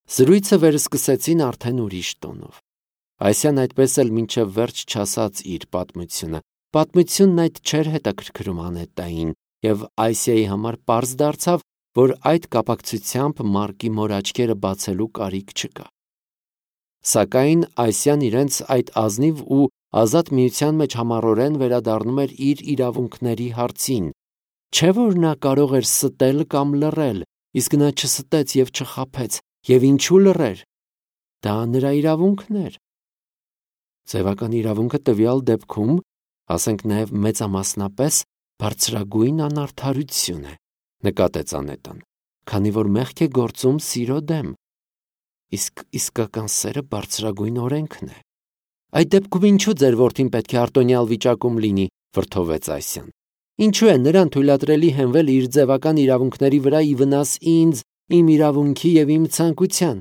Զրույցը վերսկսեցին արդեն ուրիշ տոնով։ Այսյան այդպես էլ մինչև վերջ չասաց իր պատմությունը։ Պատմությունն այդ չէր հետաքրքրում Անետային, և Այսիայի համար պարզ դարձավ, որ այդ կապակցությամբ Մարկի մոր աչքերը բացելու կարիք չկա։ Սակայն Այսյան իրենց այդ ազնիվ ու ազատ միության մեջ համառորեն վերադառնում էր իր իրավունքների հարցին։ Չէ՞ որ նա կարող էր ստել կամ լռել, իսկ նա չստեց և չխաբեց, և ինչու լռեր։ Դա նրա իրավունքն էր։ Ձևական իրավունքը տվյալ դեպքում, ասենք նաև մեծամասնապես, բարձրագույն անարդարություն է, նկատեց Անետան, քանի որ մեղք է գործում սիրո դեմ։ Իսկ իսկական սերը բարձրագույն օրենքն է։ Այդ դեպքում ինչու ձեր որդին պետք է արտոնյալ վիճակում լինի, վրդովվեց Այսյան։ Ինչու է նրան թույլատրելի հենվել իր ձևական իրավունքների վրա ի վնաս ինձ, իմ իրավունքի և իմ ցանկության։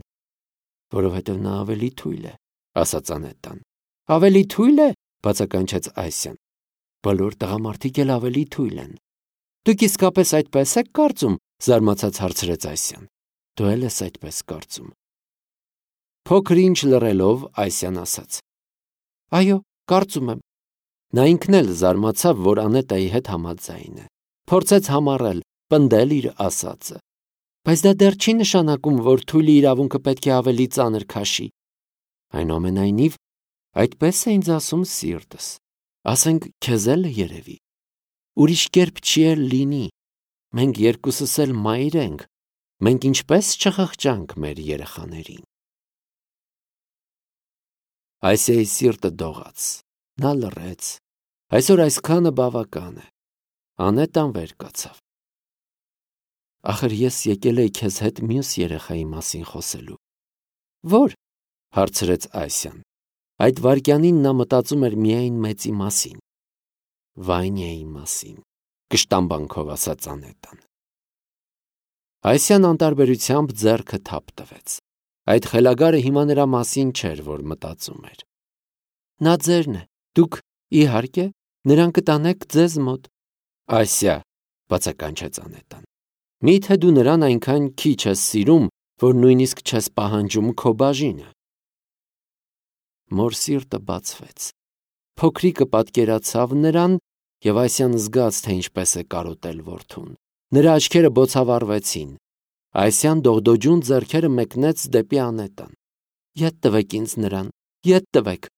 Որովհետև նա ավելի թույլ է, ասաց Անետան։ Ավելի թույլ է, բացականչեց Այսյան։ Բոլոր տղամարդիկ էլ ավելի թույլ են։ Դուք իսկապես այդպես եք կարծում, զարմացած հարցրեց Այսյան։ Դու էլ ես այդպես կարծում։ Փոքր ինչ լռելով Այսյան ասաց. Այո, կարծում եմ։ Նա ինքն էլ զարմացավ, որ Անետայի հետ համաձայն է։ Փորձեց համառել, պնդել իր ասածը։ Բայց դա դեռ չի նշանակում, որ թույլի իրավունքը պետք է ավելի ծանր քաշի։ Այնուամենայնիվ, այդպես է ինձ ասում սիրտս։ Ասենք քեզ էլ երևի։ Ուրիշ կերպ չի էլ լինի։ Մենք երկուսս էլ մայր ենք։ Մենք ինչպես չխղճանք մեր երեխաներին։ Այսիայի սիրտը դողաց։ Նա լռեց։ Այսօր այսքանը բավական է։ Անետան վեր կացավ։ Ախր ես եկել էի քեզ հետ մյուս երեխայի մասին խոսելու։ Ո՞ր, հարցրեց Այսյան։ Այդ վայրկյանին նա մտածում էր միայն մեծի մասին։ Վանյայի մասին, կշտամբանքով ասաց Անետան։ Այսյան անտարբերությամբ ձեռքը թափ տվեց։ Այդ խելագարը հիմա նրա մասին չէր, որ մտածում էր։ Նա ձերն է, դուք, իհարկե, նրան կտանեք ձեզ մոտ։ Այսյա, բացականչեց Անետան։ Մի՞թե դու նրան այնքան քիչ ես սիրում, որ նույնիսկ չես պահանջում քո բաժինը։ Մոր սիրտը բացվեց։ Փոքրիկը պատկերացավ նրան, և Այսյան զգաց, թե ինչպես է կարոտել որդուն։ Նրա աչքերը բոցավառվեցին։ Այսյան դողդոջուն ձեռքերը մեկնեց դեպի Անետան։ Ետ տվեք ինձ նրան, ետ տվեք։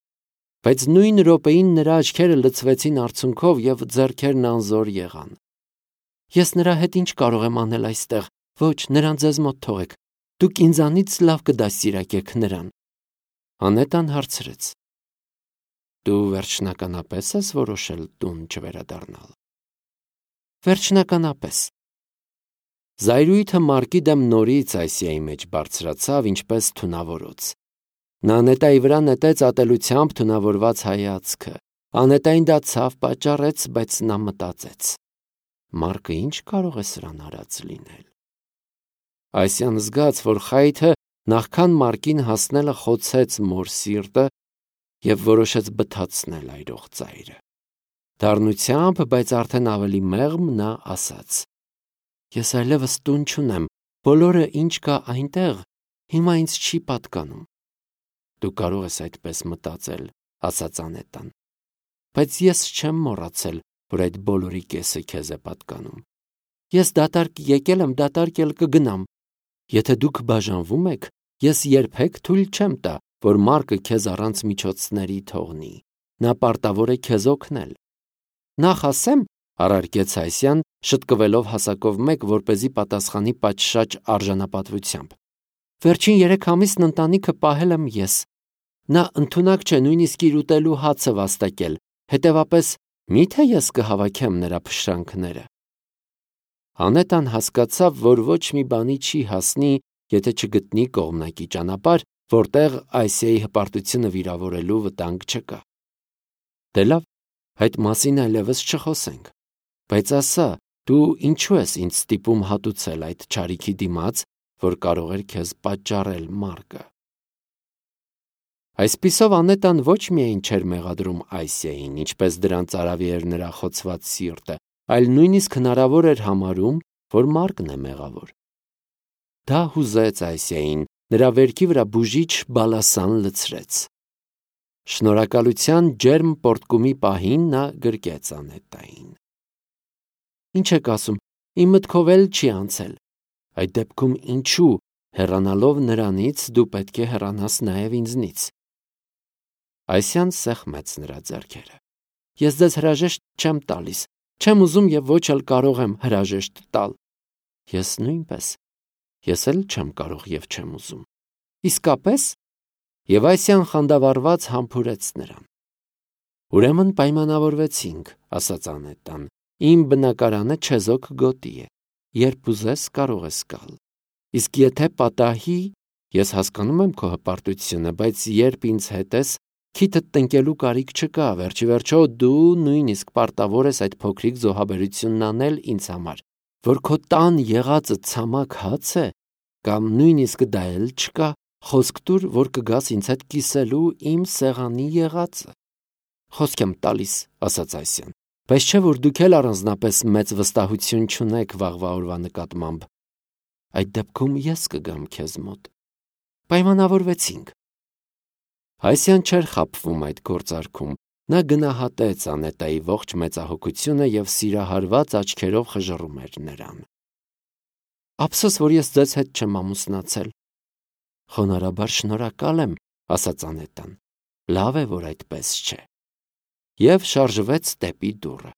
Բայց նույն րոպեին նրա աչքերը լցվեցին արցունքով և ձեռքերն անզոր եղան։ Ես նրա հետ ինչ կարող եմ անել այստեղ։ Ոչ, նրան ձեզ մոտ թողեք։ Դուք ինձանից լավ կդաստիարակեք նրան։ Անետան հարցրեց. Դու վերջնականապես ես որոշել տուն չվերադառնալ։ Վերջնականապես։ Զայրույթը Մարկի դեմ նորից Այսիայի մեջ բարձրացավ, ինչպես թունավորոց։ Նա Անետայի վրա նետեց ատելությամբ թունավորված հայացքը։ Անետային դա ցավ պատճառեց, բայց նա մտածեց. Մարկը ինչ կարող է սրան արած լինել։ Այսյան զգաց, որ խայթը նախքան Մարկին հասնելը խոցեց մոր սիրտը և որոշեց բթացնել այրող ծայրը։ Դառնությամբ, բայց արդեն ավելի մեղմ նա ասաց. Ես այլևս տուն չունեմ, բոլորը ինչ կա այնտեղ, հիմա ինձ չի պատկանում։ Դու կարող ես այդպես մտածել, ասաց Անետան, բայց ես չեմ մոռացել, որ այդ բոլորի կեսը քեզ է պատկանում։ Ես դատարկ եկել եմ, դատարկ էլ կգնամ։ Եթե դուք բաժանվում եք, ես երբեք թույլ չեմ տա, որ Մարկը քեզ առանց միջոցների թողնի։ Նա պարտավոր է քեզ օգնել։ Նախ ասեմ, առարկեց Այսյան, շտկվելով հասակով մեկ, որպեսզի պատասխանի պատշաճ արժանապատվությամբ։ Վերջին 3 ամիսն ընտանիքը պահել եմ ես։ Նա ընդունակ չէ նույնիսկ իր ուտելու հացը վաստակել, հետևապես մի՞թե ես կհավաքեմ նրա փշրանքները։ Անետան հասկացավ, որ ոչ մի բանի չի հասնի, եթե չգտնի կողմնակի ճանապարհ, որտեղ Այսիայի հպարտությունը վիրավորելու վտանգ չկա։ Դե լավ, այդ մասին այլևս չխոսենք։ Բայց ասա, դու ինչու ես ինձ ստիպում հատուցել այդ չարիքի դիմաց, որ կարող էր քեզ պատճառել Մարկը։ Այսպիսով Անետան ոչ միայն չէր մեղադրում Այսիային, ինչպես դրան ծարավի էր նրա խոցված սիրտը, այլ նույնիսկ հնարավոր էր համարում, որ Մարկն է մեղավոր։ Դա հուզեց Այսիային, նրա վերքի վրա բուժիչ բալասան լցրեց։ Շնորհակալության ջերմ պոռթկումի պահին նա գրկեց Անետային։ Ինչ եք ասում, իմ մտքով էլ չի անցել։ Այդ դեպքում ինչու, հեռանալով նրանից, դու պետք է հեռանաս նաև ինձնից։ Այսյան սեղմեց նրա ձեռքերը։ Ես ձեզ հրաժեշտ չեմ տալիս, չեմ ուզում եւ ոչ էլ կարող եմ հրաժեշտ տալ։ Ես նույնպես։ Ես էլ չեմ կարող եւ չեմ ուզում։ Իսկապես։ Եվ Այսյան խանդավառված համբուրեց նրան։ Ուրեմն պայմանավորվեցինք, ասաց Անետան, իմ բնակարանը չեզոք գոտի է, երբ ուզես կարող ես գալ։ Իսկ եթե պատահի, ես հասկանում եմ քո հպարտությունը, բայց երբ ինձ հետ ես, քիթդ տնկելու կարիք չկա, վերջի վերջո դու նույնիսկ պարտավոր ես այդ փոքրիկ զոհաբերությունն անել ինձ համար, որ քո տան եղածը ցամաք հաց է, կամ նույնիսկ դա էլ չկա, խոսք տուր, որ կգաս ինձ հետ կիսելու իմ սեղանի եղածը։ Խոսք եմ տալիս, ասաց Այսյան, բայց չէ որ դուք էլ առանձնապես մեծ վստահություն չունեք վաղվա օրվա նկատմամբ։ Այդ դեպքում ես կգամ քեզ մոտ։ Պայմանավորվեցինք։ Այսյան չէր խաբվում այդ գործարքում, նա գնահատեց Անետայի ողջ մեծահոգությունը և սիրահարված աչքերով խժռում էր նրան։ Ափսոս, որ ես ձեզ հետ չեմ ամուսնացել։ Խոնարհաբար շնորհակալ եմ, ասաց Անետան, լավ է, որ այդպես չէ։ Եվ շարժվեց դեպի դուռը։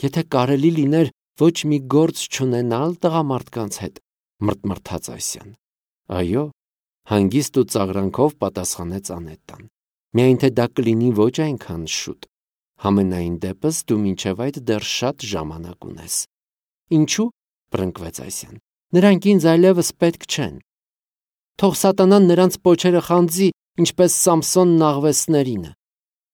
Եթե կարելի լիներ ոչ մի գործ չունենալ տղամարդկանց հետ, մռթմռթաց Այսյան։ Այո, հանգիստ ու ծաղրանքով պատասխանեց Անետան։ Միայն թե դա կլինի ոչ այնքան շուտ։ Համենայն դեպս դու մինչև այդ դեռ շատ ժամանակ ունես։ Ինչու՞, բռնկվեց Այսյան։ Նրանք ինձ այլևս պետք չեն։ Թող սատանան նրանց պոչերը խանձի, ինչպես Սամսոնն աղվեսներինը։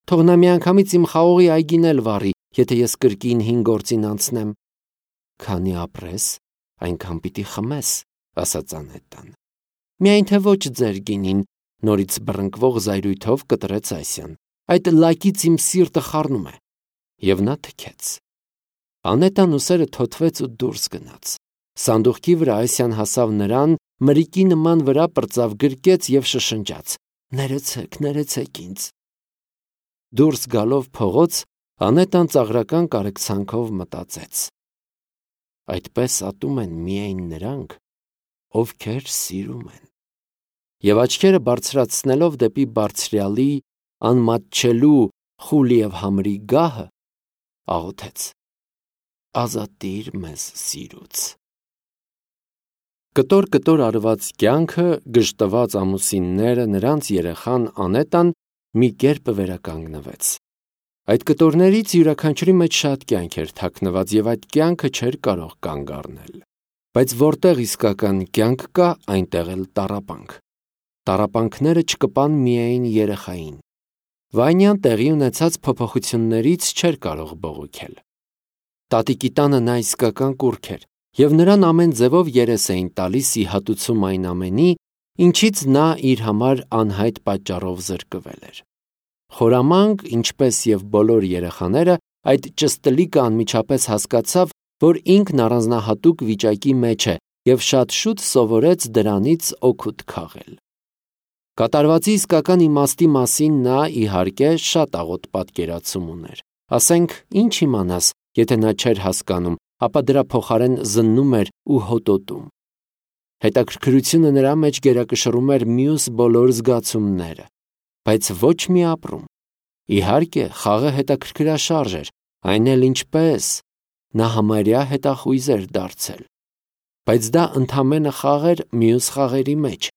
Թող նա միանգամից իմ խաղողի այգին էլ վառի, եթե ես կրկին հին գործին անցնեմ։ Քանի ապրես, այնքան պիտի խմես, ասաց Անետան։ Միայն թե ոչ ձեր գինին, նորից բռնկվող զայրույթով կտրեց Այսյան։ Այդ լակից իմ սիրտը խառնում է։ Եվ նա թքեց։ Անետան ուսերը թոթվեց ու դուրս գնաց։ Սանդուղքի վրա Այսյան հասավ նրան, մրիկի նման վրա պրծավ գրկեց և շշնջաց. Ներեցեք, ներեցեք ինձ։ Դուրս գալով փողոց, Անետան ծաղրական կարեկցանքով մտածեց. այդպես ատում են միայն նրանք, ովքեր սիրում են։ Եվ աչքերը բարձրացնելով դեպի բարձրյալի, անմատչելու, խուլ և համրի գահը, աղոթեց. ազատիր մեզ սիրուց։ Կտոր արված կյանքը, գժտված ամուսինները, նրանց երեխան Անետան մի կերպ վերականգնվեց։ Այդ կտորներից յուրաքանչյուրի մեջ շատ կյանք էր թաքնված և այդ կյանքը չէր կարող կանգ առնել։ Բայց որտեղ իսկական կյանք կա, այնտեղ էլ տառապանք։ Տառապանքները չկպան միայն երեխային։ Վանյան տեղի ունեցած փոփոխություններից չէր կարող բողոքել։ Տատիկի տանը նա իսկական կուռք էր, և նրան ամեն ձևով երես էին տալիս ի հատուցում այն ամենի, ինչից նա իր համար անհայտ պատճառով զրկվել էր։ Խորամանկ, ինչպես և բոլոր երեխաները, այդ ճստլիկը անմիջապես հասկացավ, որ ինքն առանձնահատուկ վիճակի մեջ է և շատ շուտ սովորեց դրանից օգուտ քաղել։ Կատարվածի իսկական իմաստի մասին նա, իհարկե, շատ աղոտ պատկերացում ուներ։ Ասենք, ինչ իմանաս, եթե նա չէր հասկանում, ապա դրա փոխարեն զննում էր ու հոտոտում։ Հետաքրքրությունը նրա մեջ գերակշռում էր մյուս բոլոր զգացումները, բայց ոչ մի ապրում։ Իհարկե, խաղը հետաքրքրաշարժ էր, այն էլ ինչպես, նա համարյա հետախույզ էր դարձել։ Բայց դա ընդամենը խաղ էր մյուս խաղերի մեջ։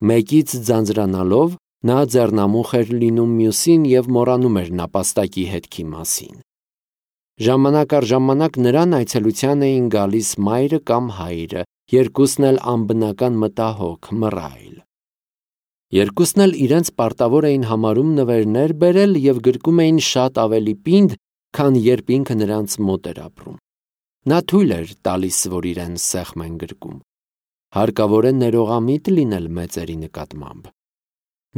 Մեկից ձանձրանալով նա ձեռնամուխ էր լինում մյուսին և մոռանում էր նապաստակի հետքի մասին։ Ժամանակ առ ժամանակ նրան այցելության էին գալիս մայրը կամ հայրը, երկուսն էլ անբնական մտահոգ, մռայլ։ Երկուսն էլ իրենց պարտավոր էին համարում նվերներ բերել և գրկում էին շատ ավելի պինդ, քան երբ ինքը նրանց մոտ էր ապրում։ Նա թույլ էր տալիս, որ իրեն սեղմ են գրկում։ Հարկավոր է ներողամիտ լինել մեծերի նկատմամբ։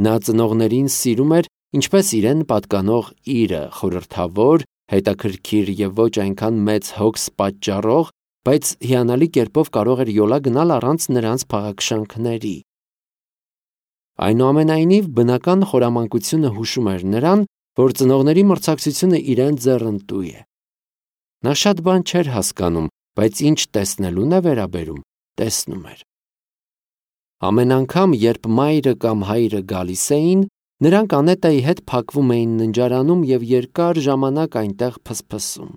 Նա ծնողներին սիրում էր, ինչպես իրեն պատկանող իրը, խորհրդավոր, հետաքրքիր և ոչ այնքան մեծ հոգս պատճառող, բայց հիանալի կերպով կարող էր յոլա գնալ առանց նրանց փաղաքշանքների։ Այնուամենայնիվ բնական խորամանկությունը հուշում էր նրան, որ ծնողների մրցակցությունը իրեն ձեռնտու է։ Նա շատ բան չէր հասկանում, բայց ինչ տեսնելուն է վերաբերում, տեսնում էր։ Ամեն անգամ, երբ մայրը կամ հայրը գալիս էին, նրանք Անետայի հետ փակվում էին ննջարանում և երկար ժամանակ այնտեղ փսփսում։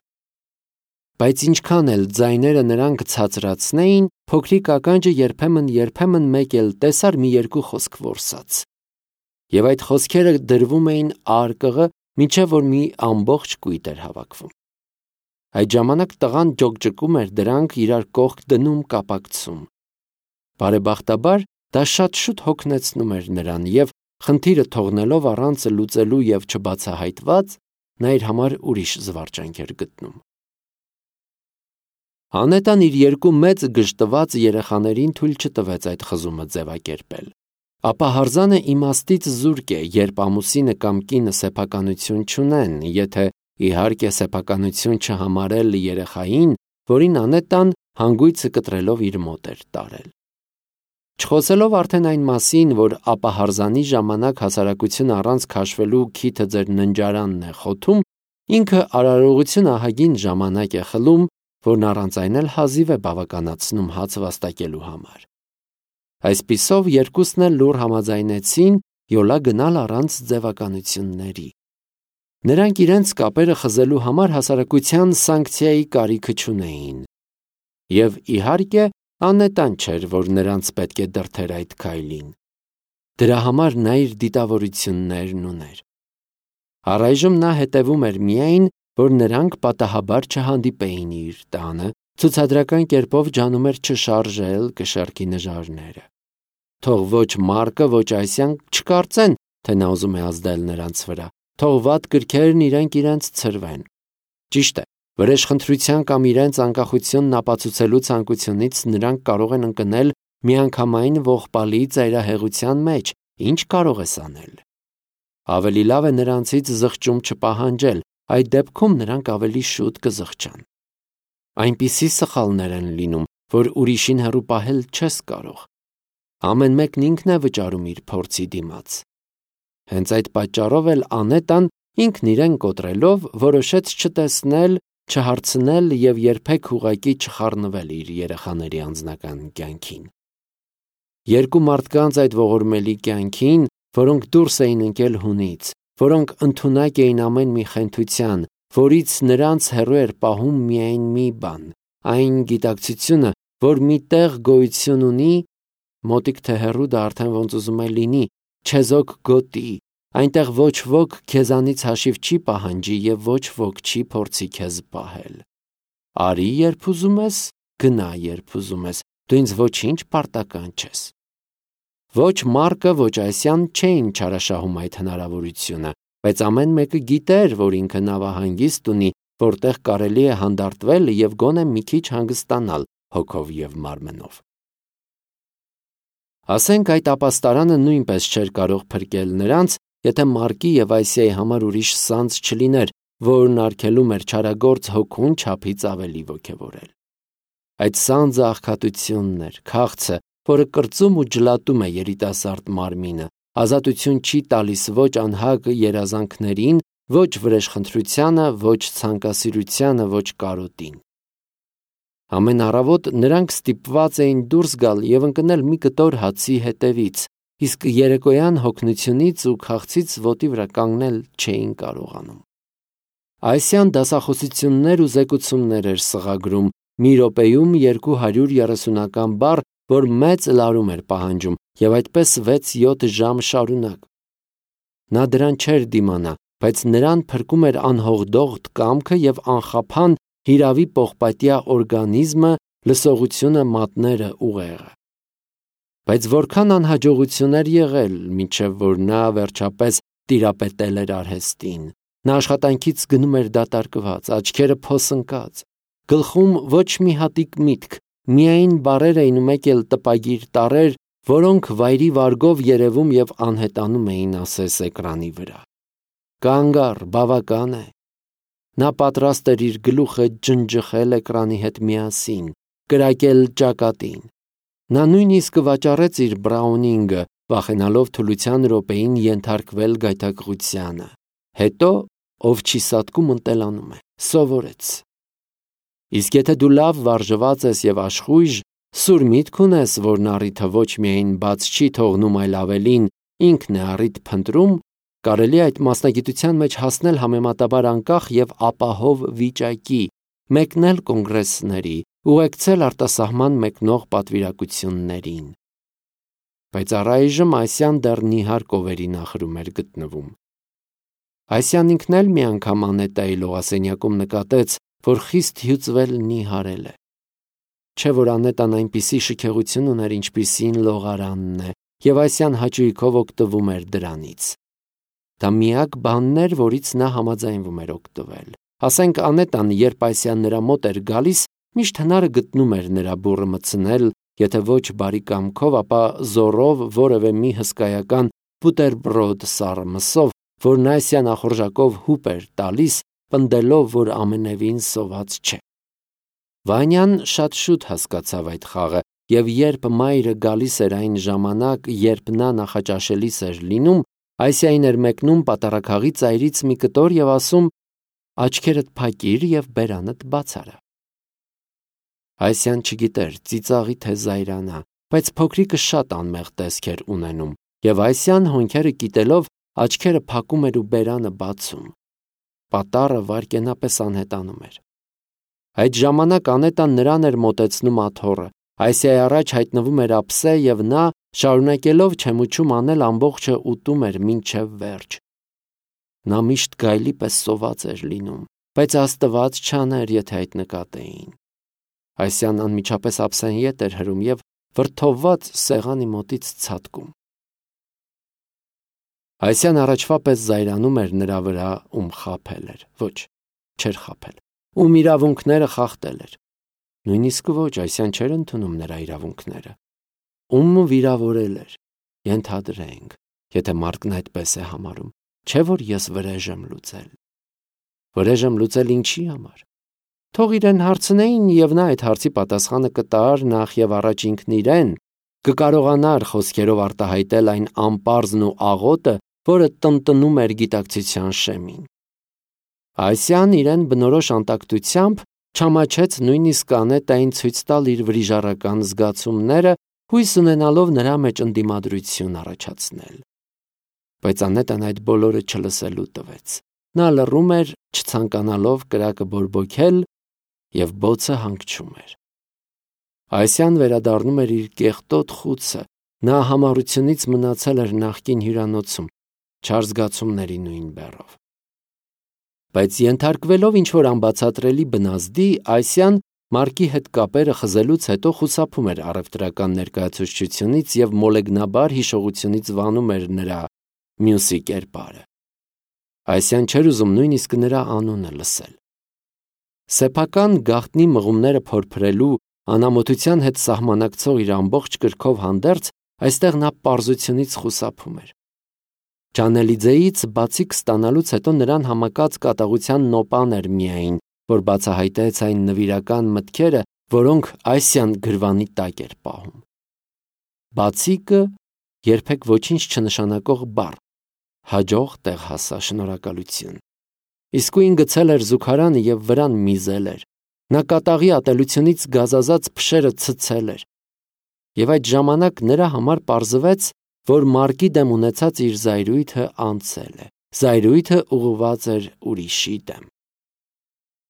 Բայց ինչքան էլ ձայները նրանք ցածրացնեին, փոքրիկ ականջը երբեմն մեկ էլ տեսար մի երկու խոսք որսած։ Եվ այդ խոսքերը դրվում էին արկղը, մինչև որ մի ամբողջ կույտ էր հավաքվում։ Այդ ժամանակ տղան ջոկջկում էր, դրանք իրար կողք դնում, կապակցում։ Բարեբախտաբար, դա շատ շուտ հոգնեցնում էր նրան և խնդիրը թողնելով առանց լուծելու և չբացահայտված, նա իր համար ուրիշ զվարճանք էր գտնում։ Անետան իր երկու մեծ գժտված երեխաներին թույլ չտվեց այդ խզումը ձևակերպել։ Ապա հարզանը իմաստից զուրկ է, երբ ամուսինը կամ կինը սեփականություն չունեն, եթե իհարկե սեփականություն չհամարել երեխային, որին Անետան հանգույցը կտրելով իր մոտ էր տարել։ Չխոսելով արդեն այն մասին, որ ապահարզանի ժամանակ հասարակությունը առանց քաշվելու քիթը ձեր ննջարանն է խոթում, ինքը արարողություն ահագին ժամանակ է խլում, որն առանց այն էլ հազիվ է բավականացնում հաց վաստակելու համար։ Այսպիսով երկուսն էլ լուռ համաձայնեցին յոլա գնալ առանց ձևականությունների։ Նրանք իրենց կապերը խզելու համար հասարակության սանկցիայի կարիքը չունեին։ Եվ իհարկե Անետան չէր, որ նրանց պետք է դրդեր այդ քայլին։ Դրա համար նա իր դիտավորություններն ուներ։ Առայժմ նա հետևում էր միայն, որ նրանք պատահաբար չհանդիպեին իր տանը, ցուցադրական կերպով ջանում էր չշարժել կշեռքի նժարները։ Թող ոչ Մարկը, ոչ Այսյան չկարծեն, թե նա ուզում է ազդել նրանց վրա, թող վատ կրքերն իրենց ցրվեն։ Ճիշտ է, վրեժխնդրության կամ իրենց անկախությունն ապացուցելու ցանկությունից նրանք կարող են ընկնել միանգամայն ողբալի ծայրահեղության մեջ, ինչ կարող ես անել։ Ավելի լավ է նրանցից զղջում չպահանջել, այդ դեպքում նրանք ավելի շուտ կզղջան։ Այնպիսի սխալներ են լինում, որ ուրիշին հեռու պահել չես կարող։ Ամեն մեկն ինքն է վճարում իր փորձի դիմաց։ Հենց այդ պատճառով էլ Անետան ինքն իրեն կոտրելով որոշեց չտեսնել, չհարցնել և երբեք ուղղակի չխառնվել իր երեխաների անձնական կյանքին։ Երկու մարդկանց այդ ողորմելի կյանքին, որոնք դուրս էին ընկել հունից, որոնք ընդունակ էին ամեն մի խենթության, որից նրանց հեռու էր պահում միայն մի բան, այն գիտակցությունը, որ մի տեղ գոյություն ունի, մոտիկ թե հեռու դա արդեն ոնց ուզում է լինի, չեզոք գոտի, այնտեղ ոչ ոք քեզանից հաշիվ չի պահանջի և ոչ ոք չի փորձի քեզ պահել։ Արի երբ ուզում ես, գնա երբ ուզում ես, դու ինձ ոչինչ պարտական չես։ Ոչ Մարկը, ոչ Այսյան չէին չարաշահում այդ հնարավորությունը, բայց ամեն մեկը գիտեր, որ ինքը նավահանգիստ ունի, որտեղ կարելի է հանդարտվել և գոնե մի քիչ հանգստանալ հոգով և մարմնով։ Ասենք այդ ապաստարանը նույնպես չէր կարող փրկել նրանց, եթե Մարկի և Այսիայի համար ուրիշ սանձ չլիներ, որն արգելում էր չարագործ հոգուն չափից ավելի ոգևորել։ Այդ սանձը աղքատությունն էր, քաղցը, որը կրծում ու ջլատում է երիտասարդ մարմինը, ազատություն չի տալիս ոչ անհագ երազանքներին, ոչ վրեժխնդրությանը, ոչ ցանկասիրությանը, ոչ կարոտին։ Ամեն առավոտ նրանք ստիպված էին դուրս գալ և ընկնել մի կտոր հացի հետևից, իսկ երեկոյան հոգնությունից ու քաղցից ոտի վրա կանգնել չէին կարողանում։ Այսյան դասախոսություններ ու զեկուցումներ էր սղագրում, մի րոպեում 230 բառ, որ մեծ լարում էր պահանջում, և այդպես 6-7 ժամ շարունակ։ Նա դրան չէր դիմանա, բայց նրան փրկում էր անհողդողդ կամքը և անխափան հիրավի պողպատյա օրգանիզմը, լսողությունը, մատները, ուղեղը։ Բայց որքան անհաջողություն էր եղել, մինչև որ նա վերջապես տիրապետել էր արհեստին։ Նա աշխատանքից գնում էր դատարկված, աչքերը փոսընկած, գլխում ոչ մի հատիկ միտք, միայն բառեր էին ու մեկ էլ տպագիր տառեր, որոնք վայրի վարգով երևում և անհետանում էին ասես էկրանի վրա։ Կանգ առ, բավական է։ Նա պատրաստ էր իր գլուխը ջնջխել էկրանի հետ միասին, կրակել ճակատին։ Նա նույնիսկ վաճառեց իր բրաունինգը, վախենալով թուլության րոպեին ենթարկվել գայթակղությանը։ Հետո, ով չի սատկում, ընտելանում է, սովորեց։ Իսկ եթե դու լավ վարժված ես և աշխույժ, սուր միտք ունես, որն առիթը ոչ միայն բաց չի թողնում, այլ ավելին ինքն է առիթ փնտրում, կարելի է այդ մասնագիտության մեջ հասնել համեմատաբար անկախ և ապահով վիճակի, մեկնել կոնգրեսների, ուղեկցել արտասահման մեկնող պատվիրակություններին։ Բայց առայժմ Այսյան դեռ նիհար կովերի նախրում էր գտնվում։ Այսյան ինքն էլ մի անգամ Անետայի լողասենյակում նկատեց, որ խիստ հյուծվել նիհարել է։ Չէ՞ որ Անետան այնպիսի շքեղություն ուներ, ինչպիսին լողարանն է, և Այսյան հաճույքով օգտվում էր դրանից։ Դա միակ բանն էր, որից նա համաձայնվում էր օգտվել։ Ասենք Անետան, երբ Այսյան նրա մոտ էր գալիս, միշտ հնարը գտնում էր նրա բուռը մտցնել, եթե ոչ բարի կամքով, ապա զոռով որևէ մի հսկայական բուտերբրոդ սառը մսով, որն Այսյան ախորժակով հուպ էր տալիս, պնդելով, որ ամենևին սոված չէ։ Վանյան շատ շուտ հասկացավ այդ խաղը, և երբ մայրը գալիս էր այն ժամանակ, երբ նա նախաճաշելիս էր լինում, Այսյային էր մեկնում պատառաքաղի ծայրից մի կտոր և ասում. «Աչքերդ փակիր և բերանդ բաց արա»։ Այսյան չգիտեր ծիծաղի թե զայրանա, բայց փոքրիկը շատ անմեղ տեսք էր ունենում, և Այսյան հոնքերը կիտելով աչքերը փակում էր ու բերանը բացում։ Պատառը վայրկենապես անհետանում էր։ Այդ ժամանակ Անետան նրան էր մոտեցնում աթոռը, Այսյայի առաջ հայտնվում էր ափսե, և նա, շարունակելով չեմուչում անել, ամբողջը ուտում էր մինչև վերջ։ Նա միշտ գայլի պես սոված էր լինում, բայց Աստված չաներ, եթե այդ նկատեին։ Այսյան անմիջապես ափսեն ետ էր հրում և վրդովված սեղանի մոտից ցատկում։ Այսյան առաջվա պես զայրանում էր նրա վրա, ում խաբել էր, ոչ, չէր խաբել, ում իրավունքները խախտել էր։ Նույնիսկ ոչ, Այսյան չէր ընդունում նրա իրավունքները։ Ում վիրավորել էր, ենթադրենք, եթե մարդն այդպես է համարում, չէ՞ որ ես վրեժ եմ լուծել։ Վրեժ եմ լուծել ինչի համար։ Թող իրեն հարցնեին, և նա այդ հարցի պատասխանը կտար նախ և առաջ ինքն իրեն, կկարողանար խոսքերով արտահայտել այն անպարզն ու աղոտը, որը տնտնում էր գիտակցության շեմին։ Այսյան իրեն բնորոշ անտակտությամբ չամաչեց նույնիսկ Անետային ցույց տալ իր վրիժառական զգացումները, հույս ունենալով նրա մեջ ընդդիմադրություն առաջացնել։ Բայց Անետան այդ բոլորը չլսելու տվեց։ Նա լռում էր, չցանկանալով կրակը բորբոքել, և բոցը հանգչում էր։ Այսյան վերադառնում էր իր կեղտոտ խուցը, նա համառությունից մնացել էր նախկին հյուրանոցում, չար զգացումների նույն բեռով։ Բայց ենթարկվելով ինչ-որ անբացատրելի բնազդի, Այսյան Մարկի հետ կապերը խզելուց հետո խուսափում էր առևտրական ներկայացուցչությունից և մոլեգնաբար հիշողությունից վանում էր նրա մյուսի կերպարը։ Այսյան չէր ուզում նույնիսկ նրա անունը լսել։ Սեփական գաղտնի մղումները փորփրելու, անամոթության հետ սահմանակցող իր ամբողջ կրքով հանդերձ, այստեղ նա պարզությունից խուսափում էր։ Ջանելիձեից բացիկ ստանալուց հետո նրան համակած կատաղության նոպան էր միայն, որ բացահայտեց այն նվիրական մտքերը, որոնք Այսյան գրվանի տակ էր պահում։ Բացիկը երբեք ոչինչ չնշանակող բառ, հաջող տեղ հասա, շնորհակալություն։ Իսկույն գցել էր զուգարանը և վրան միզել էր։ Նա կատաղի ատելությունից գազազած փշերը ցցել էր։ Եվ այդ ժամանակ նրա համար պարզվեց, որ Մարկի դեմ ունեցած իր զայրույթը անցել է։ Զայրույթը ուղղված էր ուրիշի դեմ։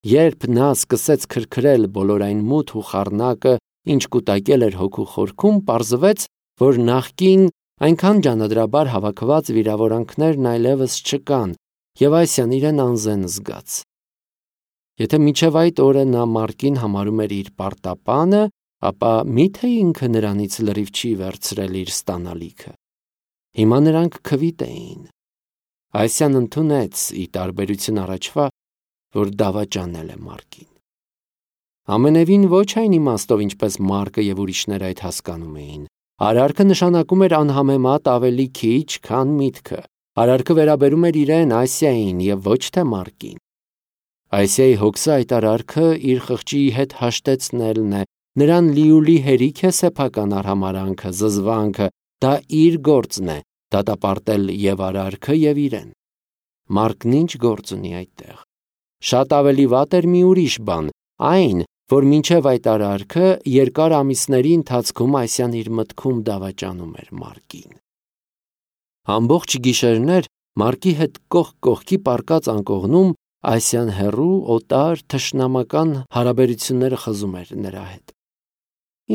Երբ նա սկսեց քրքրել բոլոր այն մութ ու խառնակը, ինչ կուտակել էր հոգու խորքում, պարզվեց, որ նախկին այնքան ջանադրաբար հավաքված վիրավորանքներն այլևս չկան, և Այսյան իրեն անզեն զգաց։ Եթե մինչև այդ օրը նա Մարկին համարում էր իր պարտապանը, ապա մի՞թե ինքը նրանից լրիվ չի վերցրել իր ստանալիքը։ Հիմա նրանք քվիտ էին։ Այսյան ընդունեց, ի տարբերություն առաջվա, որ դավաճանել է Մարկին։ Ամենևին ոչ այն իմաստով, ինչպես Մարկը և ուրիշները այդ հասկանում էին։ Արարքը նշանակում էր անհամեմատ ավելի քիչ, քան միտքը։ Արարքը վերաբերում էր իրեն, Այսիային, և ոչ թե Մարկին։ Այսիայի հոգսը այդ արարքը իր խղճի հետ հաշտեցնելն է, նրան լիուլի հերիք է սեփական արհամարհանքը, զզվանքը, Դա իր գործն է դատապարտել եւ արարքը եւ իրեն։ Մարկն ինչ գործ ունի այդտեղ։ Շատ ավելի վատ էր մի ուրիշ բան, այն, որ մինչև այդ արարքը երկար ամիսների ընթացքում Այսյան իր մտքում դավաճանում էր Մարկին։ Ամբողջ գիշերներ Մարկի հետ կողք կողքի պառկած անկողնում Այսյան հեռու, օտար, թշնամական հարաբերությունները խզում էր նրա հետ։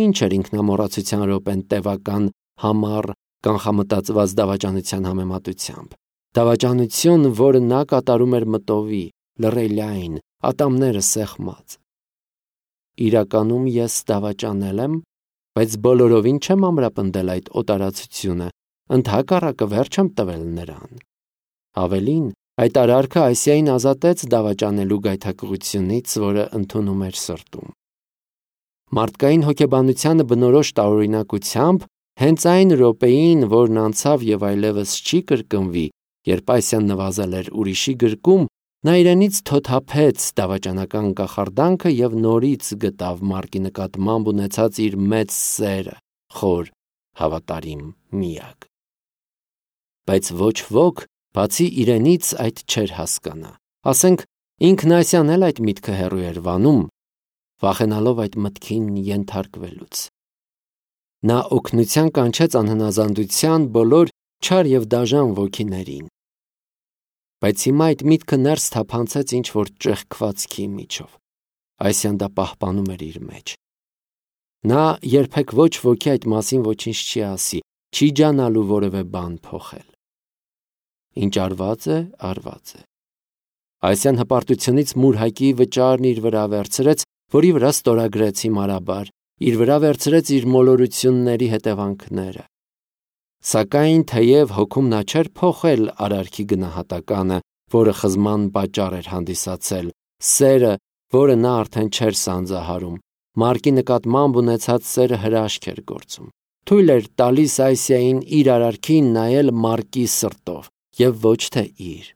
Ինչ էր ինքնամոռացության րոպեն տևական, համառ, կանխամտածված դավաճանության համեմատությամբ։ Դավաճանություն, որը նա կատարում էր մտովի, լռելային, ատամները սեղմած։ Իրականում ես դավաճանել եմ, բայց բոլորովին չեմ ամրապնդել այդ օտարացությունը, ընդհակառակը վերջ եմ տվել նրան։ Ավելին, այդ արարքը Այսիային ազատեց դավաճանելու գայթակղությունից, որը ընդունում էր սրտում։ Մարդկային հոգեբանությանը բնորոշ տարօրինակությամբ հենց այն րոպեին, որն անցավ եւ այլևս չի կրկնվի, երբ Այսյան նվազել էր ուրիշի գրկում, նա իրենից թոթափեց դավաճանական կախարդանքը եւ նորից գտավ Մարկի նկատմամբ ունեցած իր մեծ սերը, խոր, հավատարիմ, միակ։ Բայց ոչ ոք, բացի իրենից, այդ չէր հասկանա։ Ասենք, ինքն Այսյան էլ այդ միտքը հեռու էր վանում, վախենալով այդ մտքին ենթարկվելուց։ Նա օգնության կանչեց անհնազանդության բոլոր չար եւ դաժան ոգիներին։ Բայց հիմա այդ միտքը ներս թափանցեց ինչ-որ ճեղքվածքի միջով։ Այսյան դա պահպանում էր իր մեջ։ Նա երբեք ոչ ոքի այդ մասին ոչինչ չի ասի, չի ջանալու որևէ բան փոխել։ Ինչ արված է, արված է։ Այսյան հպարտությունից մուրհակի վճարն իր վրա վերցրեց, որի վրա ստորագրեց հիմարաբար, իր վրա վերցրեց իր մոլորությունների հետևանքները։ Սակայն թեև հոգում նա չէր փոխել արարքի գնահատականը, որը խզման պատճառ էր հանդիսացել, սերը, որը նա արդեն չէր սանձահարում, Մարկի նկատմամբ ունեցած սերը հրաշք էր գործում։ Թույլ էր տալիս Այսիային իր արարքին նայել Մարկի սրտով եւ ոչ թե իր։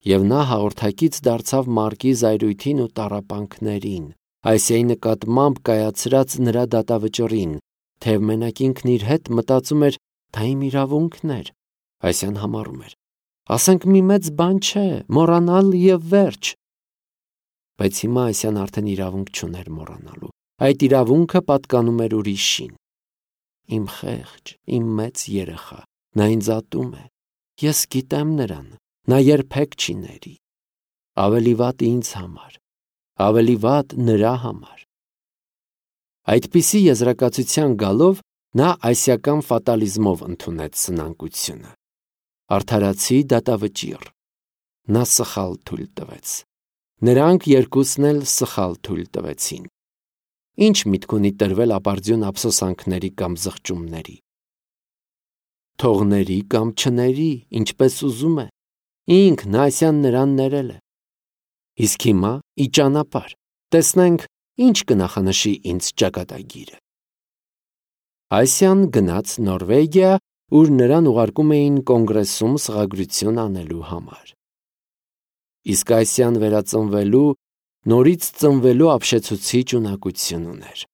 Եվ նա հաղորդակից դարձավ Մարկի զայրույթին ու տառապանքներին, Այսիայի նկատմամբ կայացրած նրա դատավճռին, թեև մենակ ինքն իր հետ մտածում էր, դա իմ իրավունքն էր։ Այսյան համառում էր. ասենք մի մեծ բան չէ, մոռանալ եւ վերջ։ Բայց հիմա Այսյան արդեն իրավունք չուներ մոռանալու։ Այդ իրավունքը պատկանում էր ուրիշին։ Իմ խեղճ, իմ մեծ երեխա, նա ինձ ատում է։ Ես գիտեմ նրան, նա երբեք չի ների։ Ավելի վատ ինձ համար, ավելի վատ նրա համար։ Այդպիսի եզրակացության գալով նա այսիական ֆատալիզմով ընդունեց սնանկությունը։ Արդարացի դատավճիռ։ Նա սխալ թույլ տվեց։ Նրանք երկուսն էլ սխալ թույլ տվեցին։ Ինչ միտք ունի տրվել ապարդյուն ափսոսանքների կամ զղջումների։ Թողների կամ չների, ինչպես ուզում է։ Ինքն Այսյան նրան ներել է։ Իսկ հիմա ի ճանապարհ, տեսնենք ինչ կնախանշի ինձ ճակատագիրը։ Այսյան գնաց Նորվեգիա, ուր նրան ուղարկում էին կոնգրեսում սղագրություն անելու համար։ Իսկ Այսյան վերածնվելու, նորից ծնվելու ապշեցուցիչ ունակություն ուներ։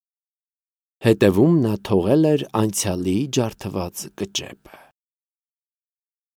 Հետևում նա թողել էր անցյալի ջարդված կճեպը։